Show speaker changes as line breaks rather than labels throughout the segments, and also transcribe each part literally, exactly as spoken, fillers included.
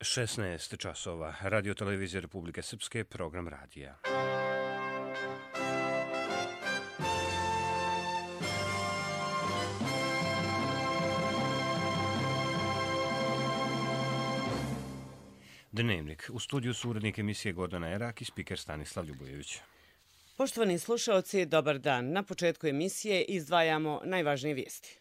šesnaest časova. Radio televizija Republike Srpske, program radija. Dnevnik. U studiju su urednik emisije Gordana Erak i spiker Stanislav Ljubojević.
Poštovani slušaoci, dobar dan. Na početku emisije izdvajamo najvažnije vijesti.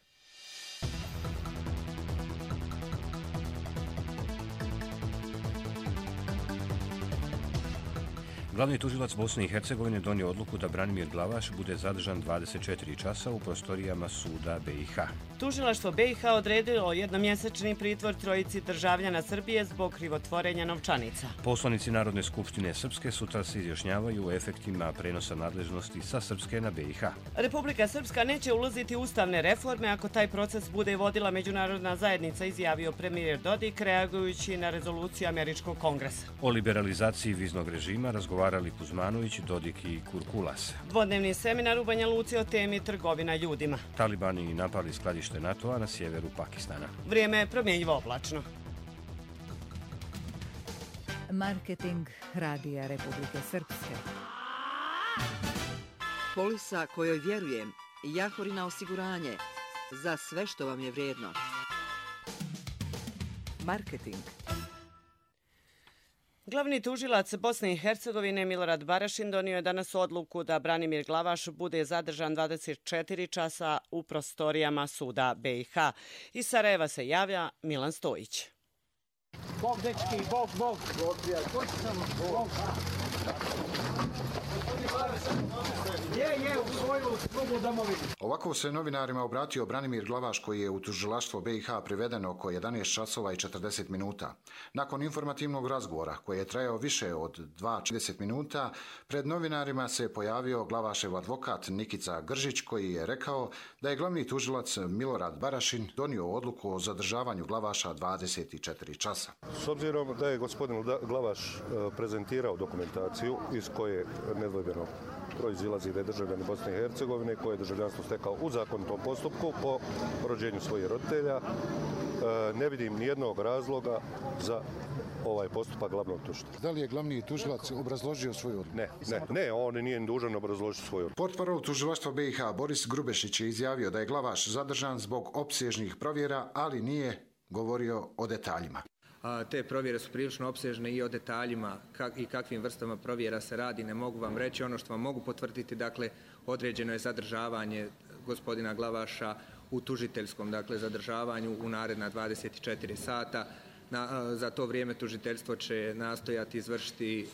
Glavni tužilac Bosne i Hercegovine donio odluku da Branimir Glavaš bude zadržan dvadeset četiri časa u prostorijama suda B i H.
Tužilaštvo B i H odredilo jednomjesečni pritvor trojici državljana Srbije zbog krivotvorenja novčanica.
Poslanici Narodne skupštine Srpske sutra se izjašnjavaju o efektima prenosa nadležnosti sa Srpske na B i H.
Republika Srpska neće ulaziti u ustavne reforme ako taj proces bude vodila međunarodna zajednica, izjavio premijer Dodik reagujući na rezoluciju Američkog kongresa.
O liberalizaciji viznog režima razgovarali Kuzmanović, Dodik i Kurkulas.
Dvodnevni seminar u Banja Luci o temi trgovina ljudima.
Talibani napali skladište NATO-a na sjeveru Pakistana.
Vrijeme je promjenjivo oblačno.
Marketing Radija Republike Srpske.
Polisa kojoj vjerujem. Jahorina osiguranje. Za sve što vam je vrijedno. Marketing.
Glavni tužilac Bosne i Hercegovine Milorad Barašin donio je danas odluku da Branimir Glavaš bude zadržan dvadeset četiri časa u prostorijama suda B i H. Iz Sarajeva se javlja Milan Stojić.
Bog, dečki, bog, bog. Bog. Je, je, u svoju slugu domovinu.
Ovako se novinarima obratio Branimir Glavaš, koji je u tužilaštvo B i H priveden oko jedanaest časova i četrdeset minuta. Nakon informativnog razgovora, koji je trajao više od dva trideset minuta, pred novinarima se pojavio Glavašev advokat Nikica Gržić, koji je rekao da je glavni tužilac Milorad Barašin donio odluku o zadržavanju Glavaša dvadeset četiri časa.
S obzirom da je gospodin Glavaš prezentirao dokumentaciju iz koje nedvojbeno proizilazi da je državljanin Bosne i Hercegovine, koje je državljanstvo stekao u zakonitom postupku po rođenju svojih roditelja, ne vidim nijednog razloga za ovaj postupak glavnog tužitelja.
Da li je glavni tužilac obrazložio svoju odluku?
Ne, ne, ne, on nije dužan obrazložiti svoju odluku.
Portparol tužilaštva B i H Boris Grubešić je izjavio da je Glavaš zadržan zbog opsežnih provjera, ali nije govorio o detaljima.
Te provjere su prilično opsežne i o detaljima i kakvim vrstama provjera se radi ne mogu vam reći. Ono što vam mogu potvrditi, dakle, određeno je zadržavanje gospodina Glavaša u tužiteljskom, dakle, zadržavanju u naredna dvadeset četiri sata. Na, za to vrijeme tužiteljstvo će nastojati izvršiti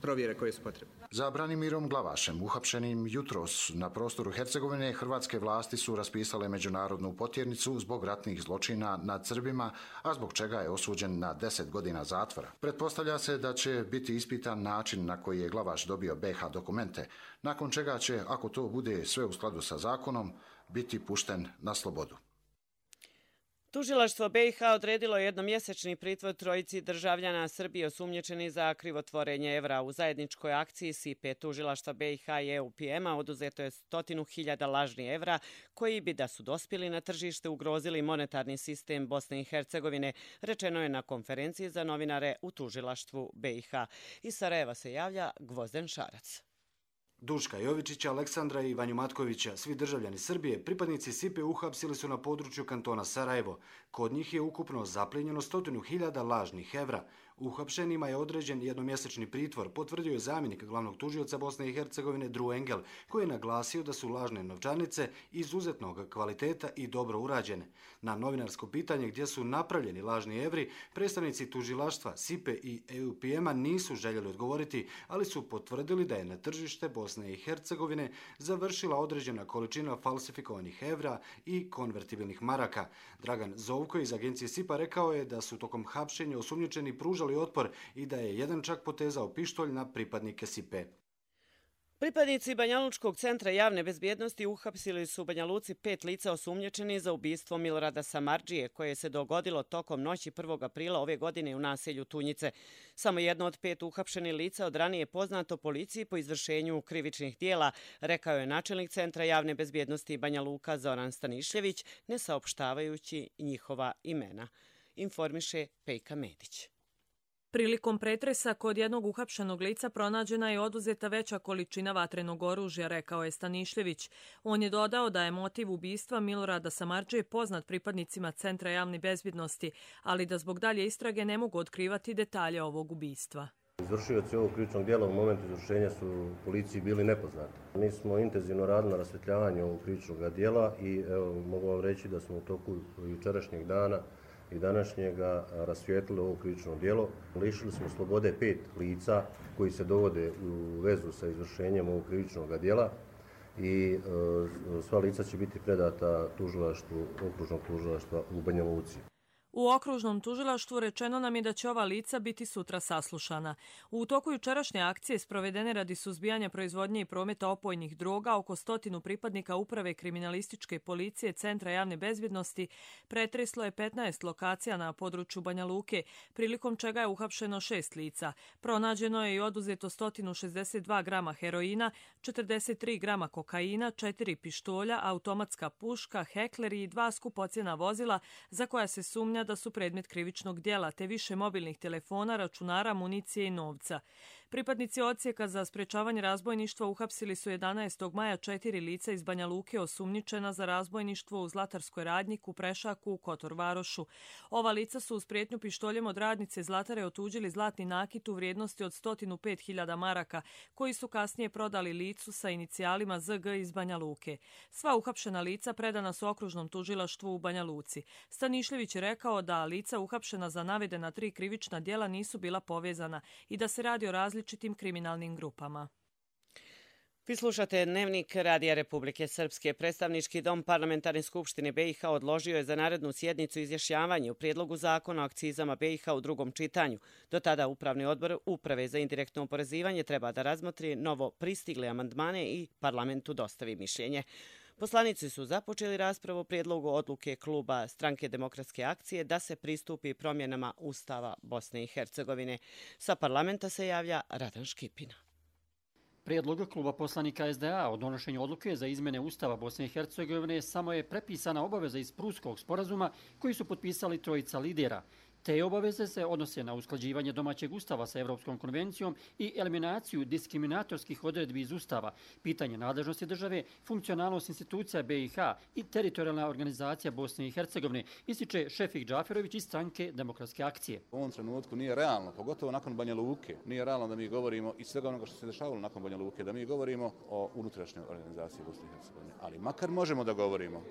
provjere koje su potrebne.
Za Branimirom Glavašem, uhapšenim jutros na prostoru Hercegovine, hrvatske vlasti su raspisale međunarodnu potjernicu zbog ratnih zločina nad Srbima, a zbog čega je osuđen na deset godina zatvora. Pretpostavlja se da će biti ispitan način na koji je Glavaš dobio B i H dokumente, nakon čega će, ako to bude sve u skladu sa zakonom, biti pušten na slobodu.
Tužilaštvo B i H odredilo jednomjesečni pritvor trojici državljana Srbije osumnjičeni za krivotvorenje evra. U zajedničkoj akciji S I P E tužilaštva B i H i E U P M-a oduzeto je stotinu hiljada lažnih evra koji bi, da su dospjeli na tržište, ugrozili monetarni sistem Bosne i Hercegovine, rečeno je na konferenciji za novinare u tužilaštvu B i H. Iz Sarajeva se javlja Gvozden Šarac.
Duška Jovičića, Aleksandra i Vanju Matkovića, svi državljani Srbije, pripadnici S I P E uhapsili su na području kantona Sarajevo. Kod njih je ukupno zaplijenjeno stotinu hiljada lažnih evra. Uhapšenima je određen jednomjesečni pritvor, potvrdio je zamjenik glavnog tužioca Bosne i Hercegovine Dru Engel, koji je naglasio da su lažne novčanice izuzetnog kvaliteta i dobro urađene. Na novinarsko pitanje gdje su napravljeni lažni evri, predstavnici tužilaštva S I P E i E U P M-a nisu željeli odgovoriti, ali su potvrdili da je na tržište Bosne i Hercegovine završila određena količina falsifikovanih evra i konvertibilnih maraka. Dragan Zovko iz agencije S I P A rekao je da su tokom hapšenja osumnjičeni pružali otpor i da je jedan čak potezao pištolj na pripadnike S I P E.
Pripadnici Banjalučkog centra javne bezbjednosti uhapsili su u Banja Luci pet lica osumnjičeni za ubistvo Milorada Samardžije, koje se dogodilo tokom noći prvog aprila ove godine u naselju Tunjice. Samo jedno od pet uhapšenih lica od ranije poznato policiji po izvršenju krivičnih dijela, rekao je načelnik centra javne bezbjednosti Banja Luka Zoran Stanišljević, ne saopštavajući njihova imena. Informiše Pejka Medić.
Prilikom pretresa kod jednog uhapšenog lica pronađena je oduzeta veća količina vatrenog oružja, rekao je Stanišljević. On je dodao da je motiv ubistva Milorada Samardžije poznat pripadnicima Centra javne bezbjednosti, ali da zbog dalje istrage ne mogu otkrivati detalje ovog ubistva.
Izvršioci ovog krivičnog djela u momentu izvršenja su policiji bili nepoznati. Mi smo intenzivno radili na rasvjetljavanju ovog krivičnog djela i evo, mogu vam reći da smo u toku jučerašnjeg dana i današnjega rasvijetlili ovo krivično djelo. Lišili smo slobode pet lica koji se dovode u vezu sa izvršenjem ovog krivičnog djela i e, sva lica će biti predata tužilaštvu, okružnog tužilaštva u Banja Luci.
U okružnom tužilaštvu rečeno nam je da će ova lica biti sutra saslušana. U toku jučerašnje akcije sprovedene radi suzbijanja proizvodnje i prometa opojnih droga oko stotinu pripadnika Uprave kriminalističke policije Centra javne bezbjednosti pretreslo je petnaest lokacija na području Banja Luke, prilikom čega je uhapšeno šest lica. Pronađeno je i oduzeto sto šezdeset dva grama heroina, četrdeset tri grama kokaina, četiri pištolja, automatska puška, hekleri i dva skupocjena vozila za koja se sumnja da su predmet krivičnog djela, te više mobilnih telefona, računara, municije i novca. Pripadnici odsjeka za sprečavanje razbojništva uhapsili su jedanaestog maja četiri lica iz Banja Luke osumnjičena za razbojništvo u Zlatarskoj radnjiku, Prešaku, u Kotor Varošu. Ova lica su uz prijetnju pištoljem od radnice Zlatare otuđili zlatni nakit u vrijednosti od sto pet hiljada maraka, koji su kasnije prodali licu sa inicijalima Z G iz Banja Luke. Sva uhapšena lica predana su okružnom tužilaštvu u Banja Luci. Stanišljević je rekao da lica uhapšena za navedena tri krivična djela nisu bila povezana i da se radi o različitim kriminalnim grupama.
Vi slušate Dnevnik Radija Republike Srpske. Predstavnički dom Parlamentarne skupštine B i H odložio je za narednu sjednicu izjašnjavanje u prijedlogu zakona o akcizama B i H u drugom čitanju. Do tada Upravni odbor Uprave za indirektno oporezivanje treba da razmotri novo pristigle amandmane i parlamentu dostavi mišljenje. Poslanici su započeli raspravu o prijedlogu odluke kluba Stranke demokratske akcije da se pristupi promjenama Ustava Bosne i Hercegovine. Sa parlamenta se javlja Radan Škipina.
Prijedlog kluba poslanika S D A o donošenju odluke za izmjene Ustava Bosne i Hercegovine samo je prepisana obaveza iz Prusskog sporazuma koji su potpisali trojica lidera. Te obaveze se odnose na usklađivanje domaćeg ustava sa Evropskom konvencijom i eliminaciju diskriminatorskih odredbi iz ustava, pitanje nadležnosti države, funkcionalnost institucija B i H i teritorijalna organizacija Bosne i Hercegovine, ističe Šefik Džaferović iz Stranke demokratske akcije.
U ovom trenutku nije realno, pogotovo nakon Banja Luke, nije realno da mi govorimo i svega onoga što se dešavalo nakon Banja Luke, da mi govorimo o unutrašnjoj organizaciji Bosne i Hercegovine. Ali makar možemo da govorimo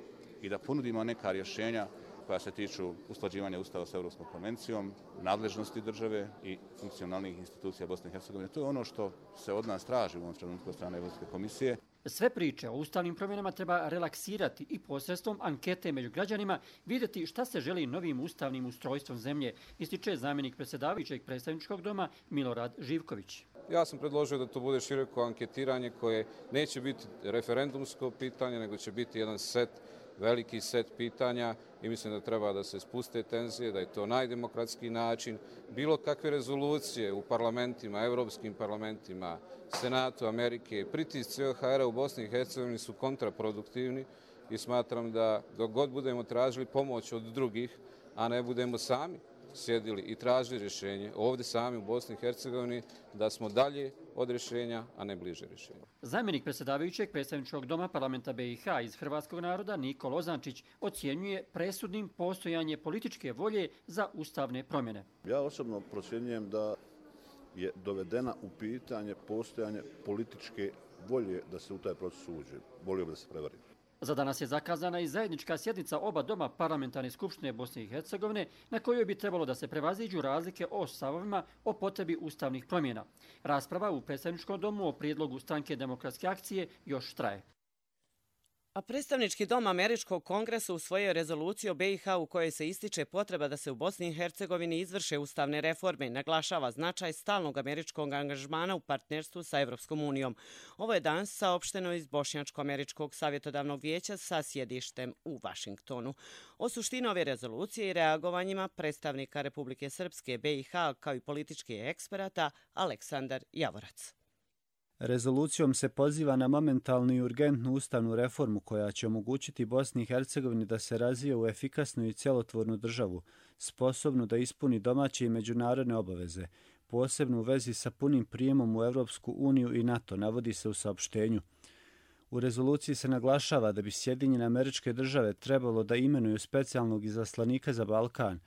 i da ponudimo neka rješenja koja se tiču usklađivanja ustava sa Evropskom konvencijom, nadležnosti države i funkcionalnih institucija Bosne i Hercegovine. To je ono što se od nas traži u ovom trenutku od strane Evropske komisije.
Sve priče o ustavnim promjenama treba relaksirati i posredstvom ankete među građanima vidjeti šta se želi novim ustavnim ustrojstvom zemlje, ističe zamjenik predsjedavajućeg predstavničkog doma Milorad Živković.
Ja sam predložio da to bude široko anketiranje koje neće biti referendumsko pitanje, nego će biti jedan set veliki set pitanja i mislim da treba da se spuste tenzije, da je to najdemokratski način. Bilo kakve rezolucije u parlamentima, evropskim parlamentima, Senatu Amerike, pritisci O H R-a u Bosni i Hercegovini su kontraproduktivni i smatram da dok god budemo tražili pomoć od drugih, a ne budemo sami sjedili i tražili rješenje ovdje sami u Bosni i Hercegovini, da smo dalje od rješenja, a ne bliže rješenja.
Zamjenik predsjedavajućeg predstavničkog doma parlamenta B i H iz hrvatskog naroda Niko Lozančić ocjenjuje presudnim postojanje političke volje za ustavne promjene.
Ja osobno procjenjujem da je dovedena u pitanje postojanje političke volje da se u taj proces uđe. Volio bi da se prevari.
Za danas je zakazana i zajednička sjednica oba doma Parlamentarne skupštine Bosne i Hercegovine na kojoj bi trebalo da se prevaziđu razlike o stavovima o potrebi ustavnih promjena. Rasprava u predstavničkom domu o prijedlogu Stranke demokratske akcije još traje.
A predstavnički dom Američkog kongresa usvojio rezoluciju o B i H u kojoj se ističe potreba da se u Bosni i Hercegovini izvrše ustavne reforme i naglašava značaj stalnog američkog angažmana u partnerstvu sa Evropskom unijom. Ovo je danas saopšteno iz Bošnjačko-američkog savjetodavnog vijeća sa sjedištem u Vašingtonu. O suštini ove rezolucije i reagovanjima predstavnika Republike Srpske, B i H kao i političkih eksperata Aleksandar Javorac.
Rezolucijom se poziva na momentalnu i urgentnu ustavnu reformu koja će omogućiti Bosni i Hercegovini da se razvije u efikasnu i cjelotvornu državu, sposobnu da ispuni domaće i međunarodne obaveze, posebno u vezi sa punim prijemom u Europsku uniju i NATO, navodi se u saopštenju. U rezoluciji se naglašava da bi Sjedinjene Američke Države trebalo da imenuju specijalnog izaslanika za Balkan,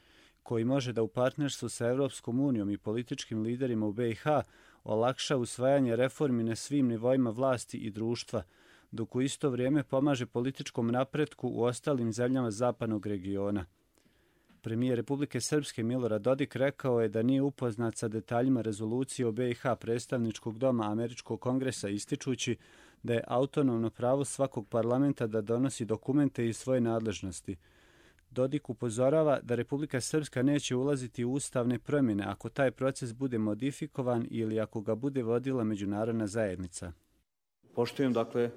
koji može da u partnerstvu sa Europskom unijom i političkim liderima u be i ha olakša usvajanje reformi na svim nivoima vlasti i društva, dok u isto vrijeme pomaže političkom napretku u ostalim zemljama zapadnog regiona. Premijer Republike Srpske Milorad Dodik rekao je da nije upoznat sa detaljima rezolucije o be i ha predstavničkog doma Američkog kongresa, ističući da je autonomno pravo svakog parlamenta da donosi dokumente iz svoje nadležnosti. Dodik upozorava da Republika Srpska neće ulaziti u ustavne promjene ako taj proces bude modifikovan ili ako ga bude vodila međunarodna zajednica.
Poštujem, dakle,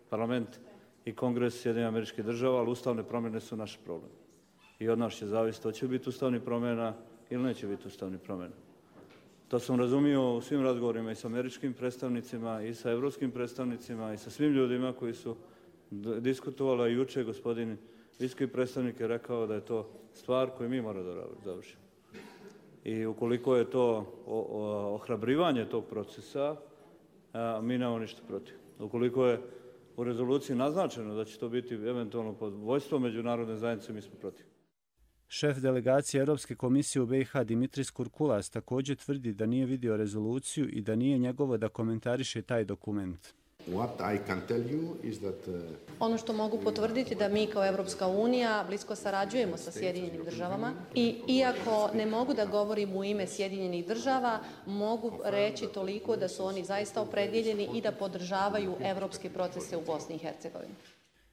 parlament i kongres Sjedinjenih Američkih Država, ali ustavne promjene su naš problem. I od nas će zavisiti hoće biti ustavni promjena ili neće biti ustavni promjena. To sam razumio u svim razgovorima i sa američkim predstavnicima i sa evropskim predstavnicima i sa svim ljudima koji su diskutovali. Juče gospodin visoki predstavnik je rekao da je to stvar koju mi moramo da završimo. I ukoliko je to ohrabrivanje tog procesa, mi nemamo ništa protiv. Ukoliko je u rezoluciji naznačeno da će to biti eventualno pod vojstvom međunarodne zajednice, mi smo protiv.
Šef delegacije Europske komisije u be i ha Dimitris Kurkulas također tvrdi da nije vidio rezoluciju i da nije njegovo da komentariše taj dokument.
Ono što mogu potvrditi da mi kao Evropska unija blisko sarađujemo sa Sjedinjenim državama i iako ne mogu da govorim u ime Sjedinjenih država, mogu reći toliko da su oni zaista opredjeljeni i da podržavaju evropske procese u Bosni i Hercegovini.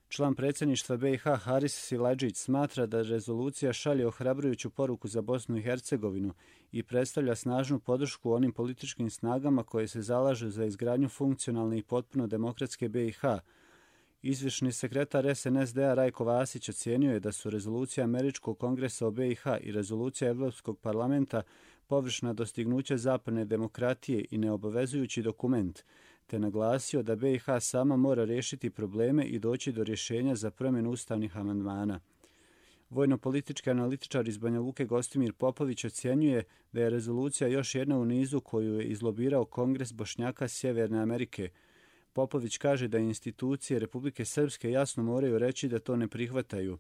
Član predsjedništva be i ha Haris Siladžić smatra da rezolucija šalje ohrabrujuću poruku za Bosnu i Hercegovinu i predstavlja snažnu podršku onim političkim snagama koje se zalažu za izgradnju funkcionalne i potpuno demokratske be i ha. Izvršni sekretar es en es de a Rajko Vasić ocijenio je da su rezolucija Američkog kongresa o be i ha i rezolucija Evropskog parlamenta površna dostignuća zapadne demokratije i neobavezujući dokument, te naglasio da be i ha sama mora riješiti probleme i doći do rješenja za promjenu ustavnih amandmana. Vojno-politički analitičar iz Banja Luke Gostimir Popović ocjenjuje da je rezolucija još jedna u nizu koju je izlobirao Kongres Bošnjaka Sjeverne Amerike. Popović kaže da institucije Republike Srpske jasno moraju reći da to ne prihvataju.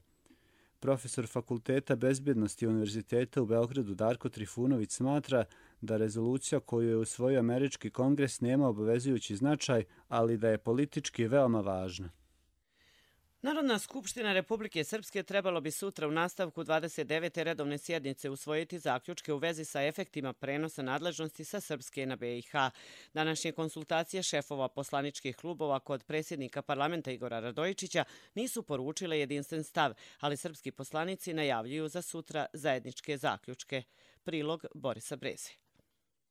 Profesor Fakulteta bezbjednosti Univerziteta u Beogradu Darko Trifunović smatra da rezolucija koju je usvojio Američki kongres nema obavezujući značaj, ali da je politički veoma važna.
Narodna skupština Republike Srpske trebalo bi sutra u nastavku dvadeset devete redovne sjednice usvojiti zaključke u vezi sa efektima prenosa nadležnosti sa Srpske na be i ha. Današnje konsultacije šefova poslaničkih klubova kod predsjednika parlamenta Igora Radojičića nisu poručile jedinstven stav, ali srpski poslanici najavljuju za sutra zajedničke zaključke. Prilog Borisa Breze.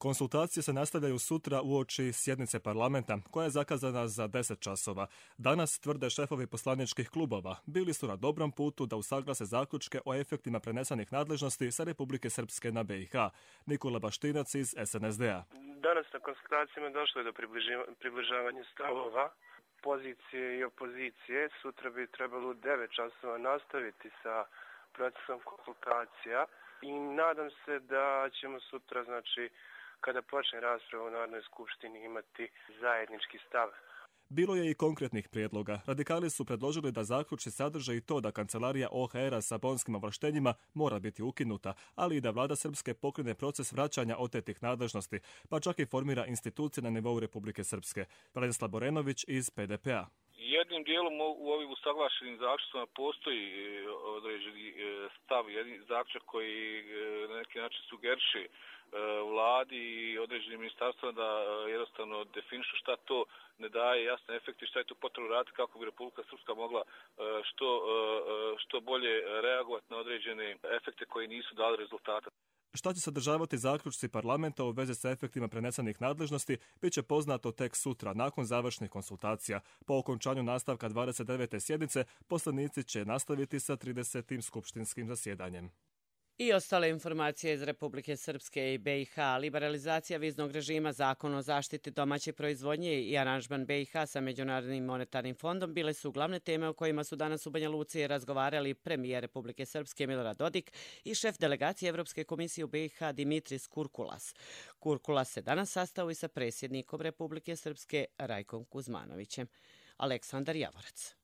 Konsultacije se nastavljaju sutra uoči sjednice parlamenta, koja je zakazana za deset časova. Danas, tvrde šefovi poslaničkih klubova, bili su na dobrom putu da usaglase zaključke o efektima prenesenih nadležnosti sa Republike Srpske na be i ha. Nikola Baštinac iz es en es de a.
Danas na konsultacijama došlo je do približavanja stavova pozicije i opozicije. Sutra bi trebalo u devet časova nastaviti sa procesom konsultacija i nadam se da ćemo sutra, znači, kada počne rasprava u Narodnoj skupštini, imati zajednički stav.
Bilo je i konkretnih prijedloga. Radikali su predložili da zaključci sadrže i to da kancelarija o ha er a sa bonskim ovlaštenjima mora biti ukinuta, ali i da vlada Srpske pokrene proces vraćanja otetih nadležnosti, pa čak i formira institucije na nivou Republike Srpske. Branislav Borenović iz pe de pe a.
Jednim dijelom u ovim usaglašenim zaključcima postoji određeni stav, jedan zaključak koji na neki način sugeriše vladi i određenim ministarstvima da jednostavno definišu šta to ne daje jasne efekte, šta je to potrebno raditi kako bi Republika Srpska mogla što, što bolje reagovati na određene efekte koji nisu dali rezultata.
Šta će sadržavati zaključci parlamenta u vezi sa efektima prenesenih nadležnosti, bit će poznato tek sutra, nakon završnih konsultacija. Po okončanju nastavka dvadeset devete sjednice, poslanici će nastaviti sa tridesetim skupštinskim zasjedanjem.
I ostale informacije iz Republike Srpske i B i H. Liberalizacija viznog režima, zakon o zaštiti domaće proizvodnje i aranžman B i H sa Međunarodnim monetarnim fondom bile su glavne teme o kojima su danas u Banja Luci razgovarali premijer Republike Srpske Milorad Dodik i šef delegacije Evropske komisije u B i H Dimitris Kurkulas. Kurkulas se danas sastao i sa predsjednikom Republike Srpske Rajkom Kuzmanovićem. Aleksandar Javorac.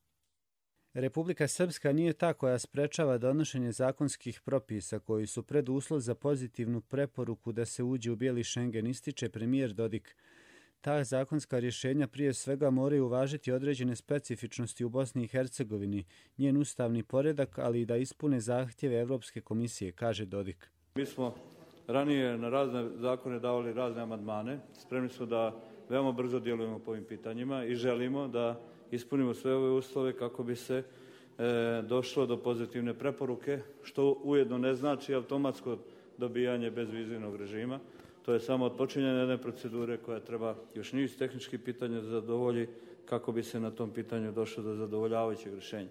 Republika Srpska nije ta koja sprečava donošenje zakonskih propisa koji su preduslov za pozitivnu preporuku da se uđe u bijeli Schengen, ističe premijer Dodik. Ta zakonska rješenja prije svega moraju uvažiti određene specifičnosti u Bosni i Hercegovini, njen ustavni poredak, ali i da ispune zahtjeve Evropske komisije, kaže Dodik.
Mi smo ranije na razne zakone davali razne amandmane. Spremni smo da veoma brzo djelujemo po ovim pitanjima i želimo da ispunimo sve ove uslove kako bi se e, došlo do pozitivne preporuke, što ujedno ne znači automatsko dobijanje bezvizivnog režima. To je samo odpočinjanje jedne procedure koja treba još niz tehničkih pitanja da zadovolji kako bi se na tom pitanju došlo do zadovoljavajućeg rješenja.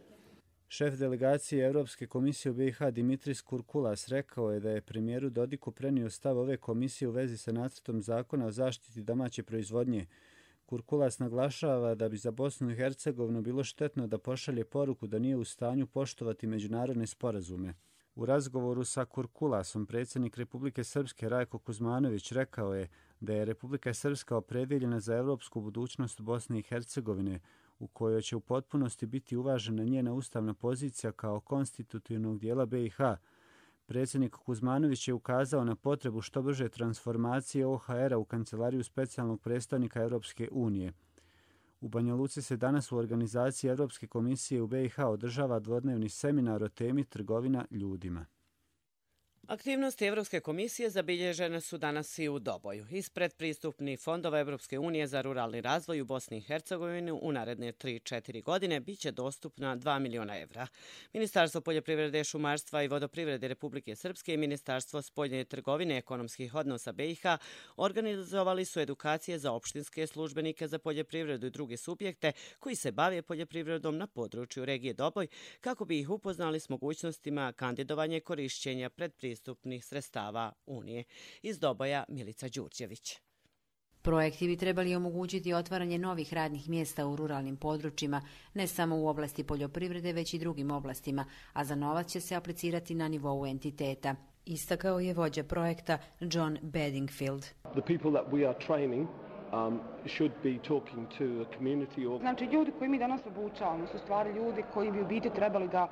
Šef delegacije Evropske komisije u B i H Dimitris Kurkulas rekao je da je premijeru Dodiku prenio stav ove komisije u vezi sa nacrtom zakona o zaštiti domaće proizvodnje. Kurkulas naglašava da bi za Bosnu i Hercegovinu bilo štetno da pošalje poruku da nije u stanju poštovati međunarodne sporazume. U razgovoru sa Kurkulasom predsjednik Republike Srpske Rajko Kuzmanović rekao je da je Republika Srpska opredjeljena za evropsku budućnost Bosne i Hercegovine, u kojoj će u potpunosti biti uvažena njena ustavna pozicija kao konstitutivnog dijela B i H. Predsjednik Kuzmanović je ukazao na potrebu što brže transformacije O H R-a u kancelariju specijalnog predstavnika Europske unije. U Banja Luci se danas u organizaciji Evropske komisije u B i H održava dvodnevni seminar o temi trgovina ljudima.
Aktivnosti Evropske komisije zabilježene su danas i u Doboju. Iz predpristupnih fondova Evropske unije za ruralni razvoj u Bosni i Hercegovini u naredne tri četiri godine biće dostupna dva miliona evra. Ministarstvo poljoprivrede, šumarstva i vodoprivrede Republike Srpske i Ministarstvo spoljne trgovine i ekonomskih odnosa B i H organizovali su edukacije za opštinske službenike za poljoprivredu i druge subjekte koji se bave poljoprivredom na području regije Doboj kako bi ih upoznali s mogućnostima kandidovanja i korišćenja predpristupnih pristupnih sredstava Unije. Iz Doboja Milica Đurđević.
Projekti bi trebali omogućiti otvaranje novih radnih mjesta u ruralnim područjima, ne samo u oblasti poljoprivrede, već i drugim oblastima, a za novac će se aplicirati na nivou entiteta. Istakao je vođa projekta John Bedingfield.
The people that we are training um, should be talking to a community or...
Znači, ljudi koji mi danas obučavamo su stvari ljudi koji bi u biti trebali da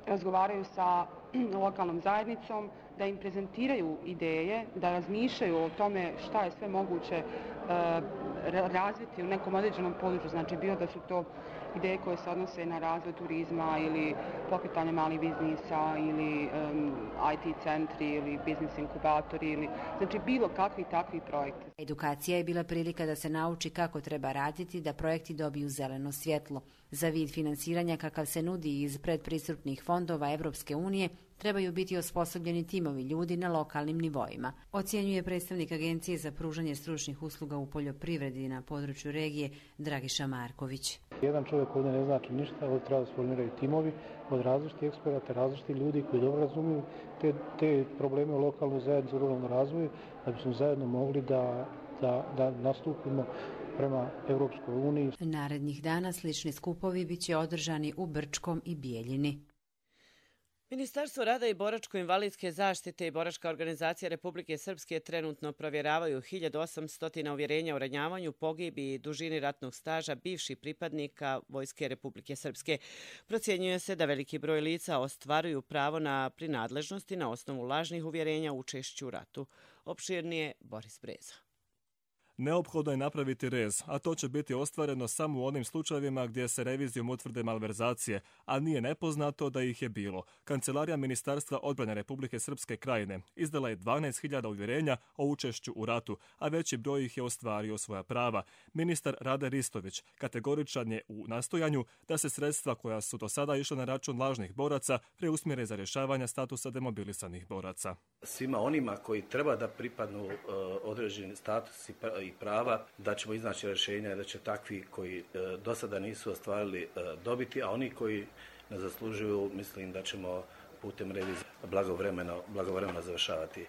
razgovaraju sa lokalnom zajednicom, da im prezentiraju ideje, da razmišljaju o tome šta je sve moguće uh, razviti u nekom određenom području. Znači, bilo da su to ideje koje se odnose na razvoj turizma ili pokretanje malih biznisa ili um, I T centri ili biznis inkubatori ili znači bilo kakvi takvi projekti.
Edukacija je bila prilika da se nauči kako treba raditi da projekti dobiju zeleno svjetlo. Za vid finansiranja kakav se nudi iz predpristupnih fondova Evropske unije trebaju biti osposobljeni timovi ljudi na lokalnim nivoima. Ocjenjuje predstavnik Agencije za pružanje stručnih usluga u poljoprivredi na području regije Dragiša Marković.
Jedan čovjek ovdje ne znači ništa, ovdje treba da se formiraju timovi od različitih eksperata, različitih ljudi koji dobro razumiju te, te probleme u lokalnoj zajednici, u ruralnom razvoju, da bismo zajedno mogli da, da, da nastupimo prema Evropskoj uniji.
Narednih dana slični skupovi biće održani u Brčkom i Bijeljini.
Ministarstvo rada i boračko-invalidske zaštite i Boračka organizacija Republike Srpske trenutno provjeravaju hiljadu osamsto uvjerenja o ranjavanju, pogibi i dužini ratnog staža bivših pripadnika Vojske Republike Srpske. Procjenjuje se da veliki broj lica ostvaruju pravo na prinadležnosti na osnovu lažnih uvjerenja o učešću u ratu. Opširnije Boris Breza.
Neophodno je napraviti rez, a to će biti ostvareno samo u onim slučajevima gdje se revizijom utvrde malverzacije, a nije nepoznato da ih je bilo. Kancelarija Ministarstva odbrane Republike Srpske Krajine izdala je dvanaest hiljada uvjerenja o učešću u ratu, a veći broj ih je ostvario svoja prava. Ministar Rade Ristović kategoričan je u nastojanju da se sredstva koja su do sada išla na račun lažnih boraca preusmjere za rješavanje statusa demobilisanih boraca.
Svima onima koji treba da pripadnu uh, određeni status i prava, da ćemo iznaći rješenja da će takvi koji e, do sada nisu ostvarili e, dobiti, a oni koji ne zaslužuju, mislim da ćemo putem revizije blagovremeno, blagovremeno završavati.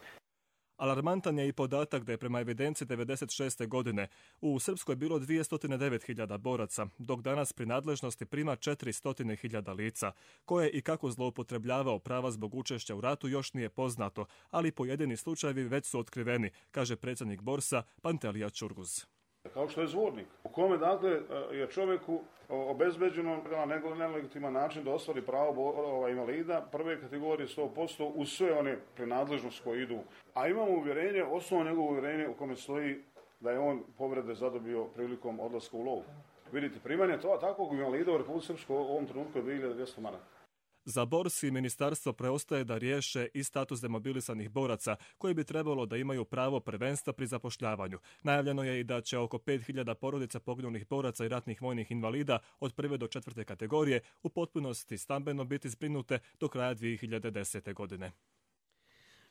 Alarmantan je i podatak da je prema evidenciji devedeset šeste. godine u Srpskoj bilo dvjesto devet hiljada boraca, dok danas pri nadležnosti prima četiristo hiljada lica, koje i kako zloupotrebljavao prava zbog učešća u ratu još nije poznato, ali pojedini slučajevi već su otkriveni, kaže predsjednik Borsa Pantelija Čurguz.
Kao što je zvornik, u kome dakle je čovjeku obezbeđeno na nelegitiman način da ostvari pravo invalida prve kategorije sto posto uz sve one prenadležnosti koje idu. A imamo uvjerenje, osnovno njegovo uvjerenje u kome stoji da je on povrede zadobio prilikom odlaska u lov. Vidite, primanje to, takvog invalida u Republici Srpskoj u ovom trenutku je dvije hiljade dvjesto maraka.
Za Bors i ministarstvo preostaje da riješe i status demobilisanih boraca, koji bi trebalo da imaju pravo prvenstva pri zapošljavanju. Najavljeno je i da će oko pet hiljada porodica poginulih boraca i ratnih vojnih invalida od prve do četvrte kategorije u potpunosti stambeno biti zbrinute do kraja dvije hiljade desete. godine.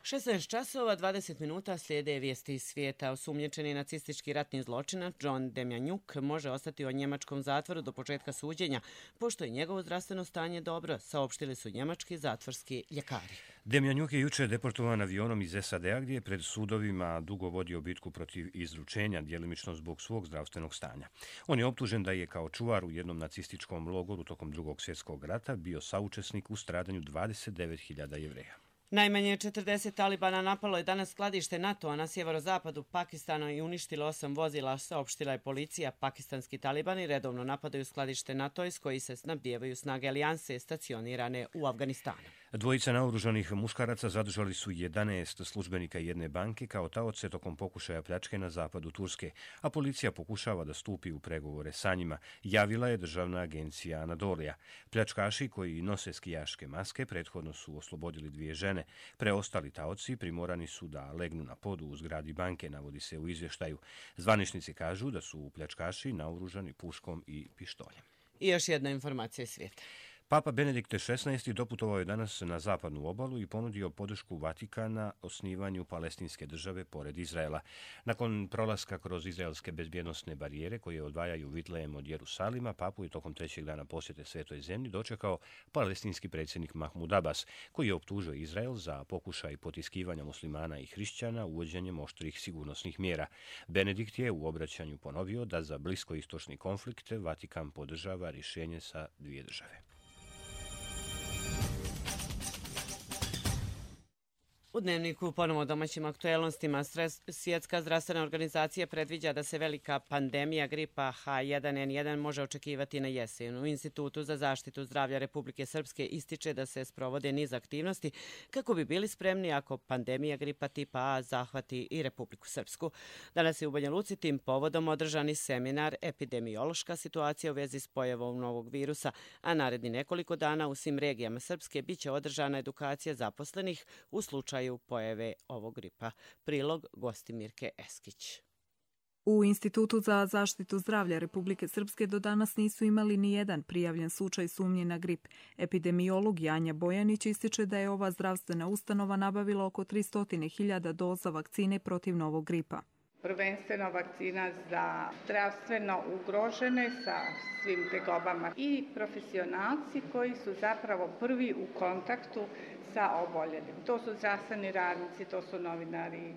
šesnaest časova dvadeset minuta slijede vijesti iz svijeta. Osumnjičeni nacistički ratni zločinac John Demjanjuk može ostati u njemačkom zatvoru do početka suđenja, pošto je njegovo zdravstveno stanje dobro, saopštili su njemački zatvorski ljekari.
Demjanjuk je jučer deportovan avionom iz S A D-a gdje je pred sudovima dugo vodio bitku protiv izručenja, djelimično zbog svog zdravstvenog stanja. On je optužen da je kao čuvar u jednom nacističkom logoru tokom Drugog svjetskog rata bio saučesnik u stradanju dvadeset devet hiljada Jevreja.
Najmanje četrdeset Talibana napalo je danas skladište NATO-a na sjeverozapadu Pakistana i uništilo osam vozila, saopštila je policija. Pakistanski talibani redovno napadaju skladište NATO iz koji se snabdijevaju snage alijanse stacionirane u Afganistanu.
Dvojica naoružanih muškaraca zadržali su jedanaest službenika jedne banke kao taoce tokom pokušaja pljačke na zapadu Turske, a policija pokušava da stupi u pregovore sa njima, javila je državna agencija Anadolija. Pljačkaši koji nose skijaške maske prethodno su oslobodili dvije žene. Preostali taoci primorani su da legnu na podu u zgradi banke, navodi se u izvještaju. Zvaničnici kažu da su pljačkaši naoružani puškom i pištoljem.
I još jedna informacija iz svijeta.
Papa Benedikt šesnaesti. doputovao je danas na zapadnu obalu i ponudio podršku Vatikana osnivanju palestinske države pored Izraela. Nakon prolaska kroz izraelske bezbjednosne barijere koje odvajaju Vitlejem od Jerusalima, papu je tokom trećeg dana posjete Svetoj zemlji dočekao palestinski predsjednik Mahmud Abbas, koji je optužio Izrael za pokušaj potiskivanja muslimana i hrišćana uvođenjem oštrih sigurnosnih mjera. Benedikt je u obraćanju ponovio da za bliskoistočni konflikt Vatikan podržava rješenje sa dvije države.
U Dnevniku ponovo o domaćim aktuelnostima. Svjetska zdravstvena organizacija predviđa da se velika pandemija gripa H jedan N jedan može očekivati na jesen. U Institutu za zaštitu zdravlja Republike Srpske ističe da se sprovode niz aktivnosti kako bi bili spremni ako pandemija gripa tipa A zahvati i Republiku Srpsku. Danas je u Banja Luci tim povodom održani seminar Epidemiološka situacija u vezi s pojavom novog virusa, a naredni nekoliko dana u svim regijama Srpske biće održana edukacija zaposlenih u slučaju pojave ovog gripa. Prilog Gostimirke Eskić.
U Institutu za zaštitu zdravlja Republike Srpske do danas nisu imali ni jedan prijavljen slučaj sumnje na grip. Epidemiolog Janja Bojanić ističe da je ova zdravstvena ustanova nabavila oko tristo hiljada doza vakcine protiv novog gripa.
Prvenstveno vakcina za zdravstveno ugrožene sa svim tegobama i profesionalci koji su zapravo prvi u kontaktu sa oboljelim. To su zdravstveni radnici, to su novinari,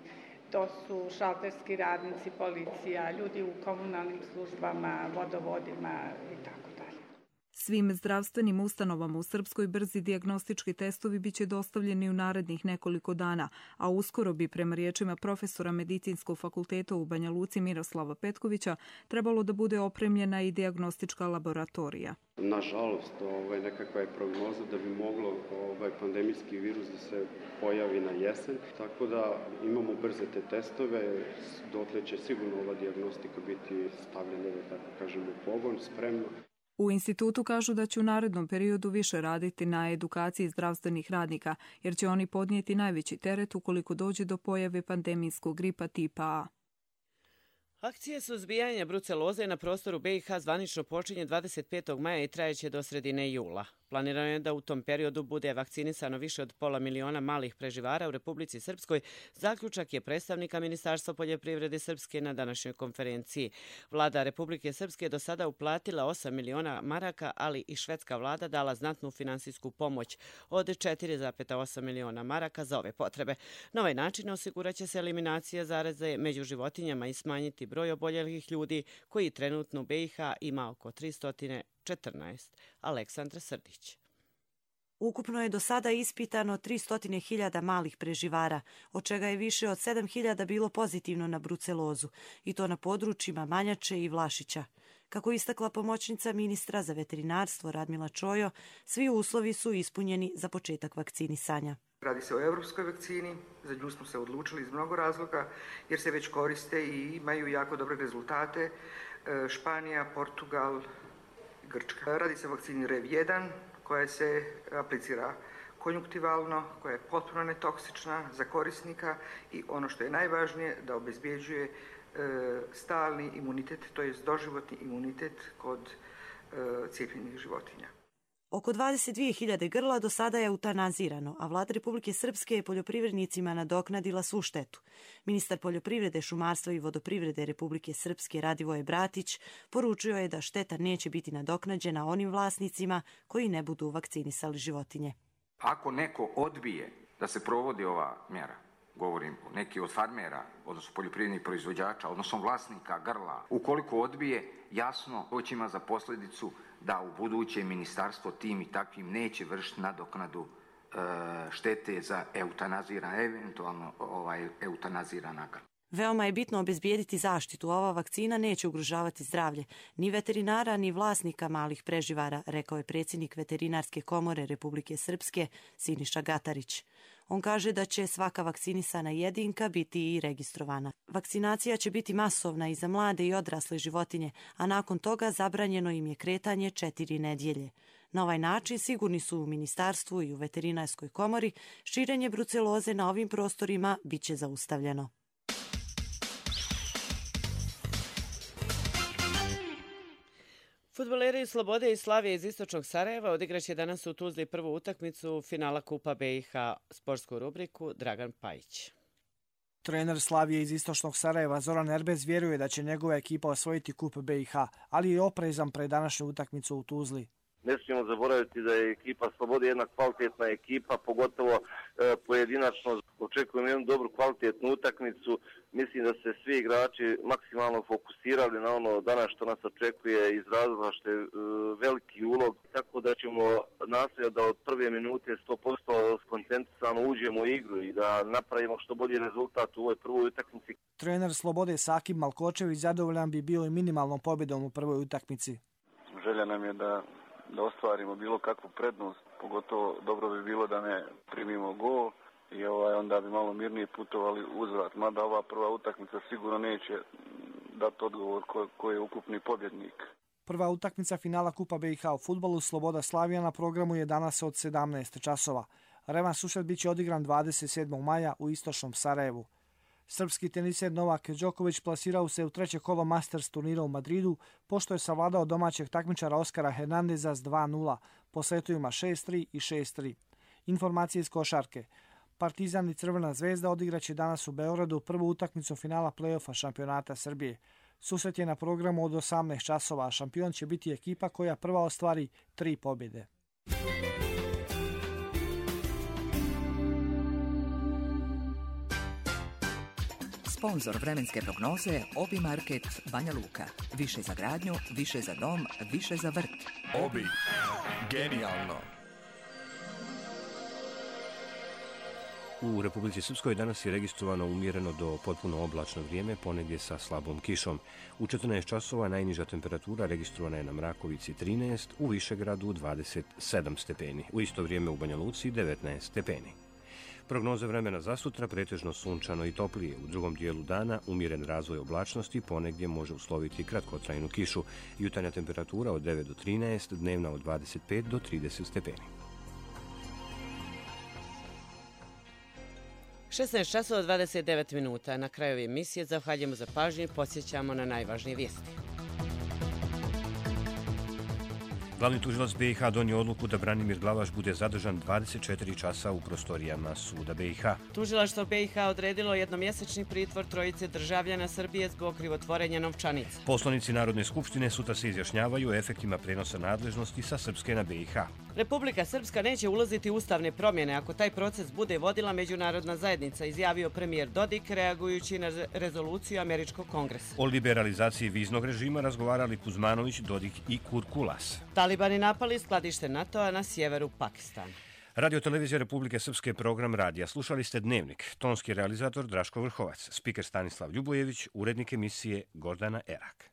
to su šalterski radnici, policija, ljudi u komunalnim službama, vodovodima i tako dalje.
Svim zdravstvenim ustanovama u Srpskoj brzi dijagnostički testovi biće dostavljeni u narednih nekoliko dana, a uskoro bi, prema riječima profesora Medicinskog fakulteta u Banja Luci Miroslava Petkovića, trebalo da bude opremljena i dijagnostička laboratorija.
Nažalost, ovaj, nekakva je prognoza da bi moglo ovaj, pandemijski virus da se pojavi na jesen, tako da imamo brze te testove, dotle će sigurno ova dijagnostika biti stavljena, da tako kažemo, u pogon, spremno.
U institutu kažu da će u narednom periodu više raditi na edukaciji zdravstvenih radnika, jer će oni podnijeti najveći teret ukoliko dođe do pojave pandemijskog gripa tipa A.
Akcija suzbijanja bruceloze na prostoru B i H zvanično počinje dvadeset petog maja i trajeće do sredine jula. Planirano je da u tom periodu bude vakcinisano više od pola miliona malih preživara u Republici Srpskoj. Zaključak je predstavnika Ministarstva poljoprivrede Srpske na današnjoj konferenciji. Vlada Republike Srpske do sada uplatila osam miliona maraka, ali i švedska vlada dala znatnu finansijsku pomoć od četiri zarez osam miliona maraka za ove potrebe. Na ovaj način osiguraće se eliminacija zaraze među životinjama i smanjiti broj oboljelih ljudi koji trenutno u B i H ima oko tristo četrnaest. Aleksandra Srdić.
Ukupno je do sada ispitano tristo hiljada malih preživara, od čega je više od sedam hiljada bilo pozitivno na brucelozu, i to na područjima Manjače i Vlašića. Kako istakla pomoćnica ministra za veterinarstvo Radmila Čojo, svi uslovi su ispunjeni za početak vakcinisanja.
Radi se o evropskoj vakcini, za nju smo se odlučili iz mnogo razloga, jer se već koriste i imaju jako dobre rezultate. Španija, Portugal, Grčka. Radi se o vakcini R E V jedan, koja se aplicira konjunktivalno, koja je potpuno netoksična za korisnika i ono što je najvažnije, da obezbjeđuje e, stalni imunitet, to je doživotni imunitet kod e, cijepljenih životinja.
Oko dvadeset dvije hiljade grla do sada je eutanazirano, a vlada Republike Srpske je poljoprivrednicima nadoknadila svu štetu. Ministar poljoprivrede, šumarstva i vodoprivrede Republike Srpske Radivoje Bratić poručio je da šteta neće biti nadoknađena onim vlasnicima koji ne budu vakcinisali životinje.
Ako neko odbije da se provodi ova mjera, govorim o neki od farmera, odnosno poljoprivrednih proizvođača, odnosno vlasnika grla, ukoliko odbije, jasno to će ima za posljedicu da u buduće ministarstvo tim i takvim neće vršiti nadoknadu e, štete za eutanazirana, eventualno ovaj, eutanazirana grla.
Veoma je bitno obezbijediti zaštitu. Ova vakcina neće ugrožavati zdravlje ni veterinara, ni vlasnika malih preživara, rekao je predsjednik Veterinarske komore Republike Srpske Siniša Gatarić. On kaže da će svaka vakcinisana jedinka biti i registrovana. Vakcinacija će biti masovna i za mlade i odrasle životinje, a nakon toga zabranjeno im je kretanje četiri nedjelje. Na ovaj način sigurni su u ministarstvu i u Veterinarskoj komori, širenje bruceloze na ovim prostorima bit će zaustavljeno.
Fudbaleri Slobode i Slavije iz istočnog Sarajeva odigraće danas u Tuzli prvu utakmicu finala Kupa B i H. Sportsku rubriku Dragan Pajić.
Trener Slavije iz istočnog Sarajeva Zoran Erbez vjeruje da će njegova ekipa osvojiti Kup B i H, ali je oprezan pred današnju utakmicu u Tuzli.
Ne smijemo zaboraviti da je ekipa Slobode jedna kvalitetna ekipa, pogotovo e, pojedinačno. Očekujemo jednu dobru kvalitetnu utakmicu. Mislim da se svi igrači maksimalno fokusirali na ono danas što nas očekuje iz razloga što je e, veliki ulog. Tako da ćemo nastojati da od prve minute sto posto skoncentrisano uđemo u igru i da napravimo što bolji rezultat u ovoj prvoj utakmici.
Trener Slobode Sakib Malkočević zadovoljan bi bio i minimalnom pobjedom u prvoj utakmici.
Želja nam je da da ostvarimo bilo kakvu prednost, pogotovo dobro bi bilo da ne primimo gol i ovaj, onda bi malo mirnije putovali uzvrat. Mada ova prva utakmica sigurno neće dati odgovor ko, ko je ukupni pobjednik.
Prva utakmica finala Kupa B i H u fudbalu Sloboda Slavija na programu je danas od sedamnaest časova. Revanš susret biće odigran dvadeset sedmog maja u istočnom Sarajevu. Srpski teniser Novak Đoković plasirao se u treće kolo Masters turnira u Madridu, pošto je savladao domaćeg takmičara Oskara Hernandeza s dva nula, po setovima šest tri i šest tri. Informacije iz košarke. Partizan i Crvena zvezda odigraće danas u Beogradu prvu utakmicu finala play-offa šampionata Srbije. Susret je na programu od osamnaest časova, a šampion će biti ekipa koja prva ostvari tri pobjede.
Sponzor vremenske prognoze Obi Market Banja Luka. Više za gradnju, više za dom, više za vrt.
Obi. Genijalno.
U Republici Srpskoj danas je registrovano umjereno do potpuno oblačno vrijeme, ponegdje sa slabom kišom. U četrnaest časova najniža temperatura registrovana je na Mrakovici trinaest, u Višegradu dvadeset sedam stepeni. U isto vrijeme u Banja Luci devetnaest stepeni. Prognoze vremena za sutra pretežno sunčano i toplije. U drugom dijelu dana umjeren razvoj oblačnosti, ponegdje može usloviti kratkotrajnu kišu. Jutarnja temperatura od devet do trinaest, dnevna od dvadeset pet do trideset stepeni.
šesnaest časova dvadeset devet minuta. Na kraju emisije zahvaljujemo za pažnju i podsjećamo na najvažnije vijesti.
Glavni tužilac B i H donio odluku da Branimir Glavaš bude zadržan dvadeset četiri časa u prostorijama suda B i H.
Tužilaštvo B i H odredilo jednomjesečni pritvor trojice državljana Srbije zbog krivotvorenja novčanica.
Poslanici Narodne skupštine sutra se izjašnjavaju o efektima prenosa nadležnosti sa Srpske na B i H.
Republika Srpska neće ulaziti u ustavne promjene ako taj proces bude vodila međunarodna zajednica, izjavio premijer Dodik reagujući na rezoluciju Američkog kongresa.
O liberalizaciji viznog režima razgovarali Kuzmanović, Dodik i Kurkulas.
Talibani napali skladište NATO-a na sjeveru Pakistana.
Radio televizija Republike Srpske, program radija. Slušali ste Dnevnik. Tonski realizator Draško Vrhovac, spiker Stanislav Ljubojević, urednik emisije Gordana Erak.